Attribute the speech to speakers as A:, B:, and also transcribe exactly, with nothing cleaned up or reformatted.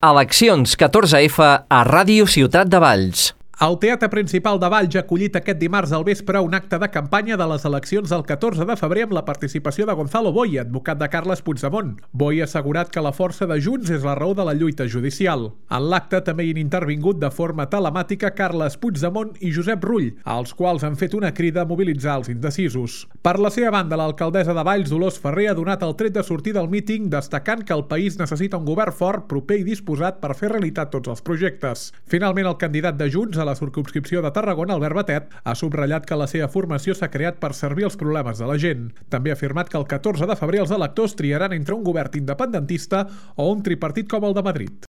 A: Eleccions catorze efa a Ràdio Ciutat de Valls.
B: El Teatre Principal de Valls ha acollit aquest dimarts al vespre un acte de campanya de les eleccions del catorze de febrer amb la participació de Gonzalo Boye, advocat de Carles Puigdemont. Boye ha assegurat que la força de Junts és la raó de la lluita judicial. En l'acte també hi han intervingut de forma telemàtica Carles Puigdemont i Josep Rull, als quals han fet una crida a mobilitzar els indecisos. Per la seva banda, l'alcaldessa de Valls, Dolors Ferrer, ha donat el tret de sortir del míting destacant que el país necessita un govern fort, proper i disposat per fer realitat tots els projectes. Finalment, el candidat de Junts a la circumscripció de Tarragona, Albert Batet, ha subratllat que la seva formació s'ha creat per servir els problemes de la gent. També ha afirmat que el catorze de febrer els electors triaran entre un govern independentista o un tripartit com el de Madrid.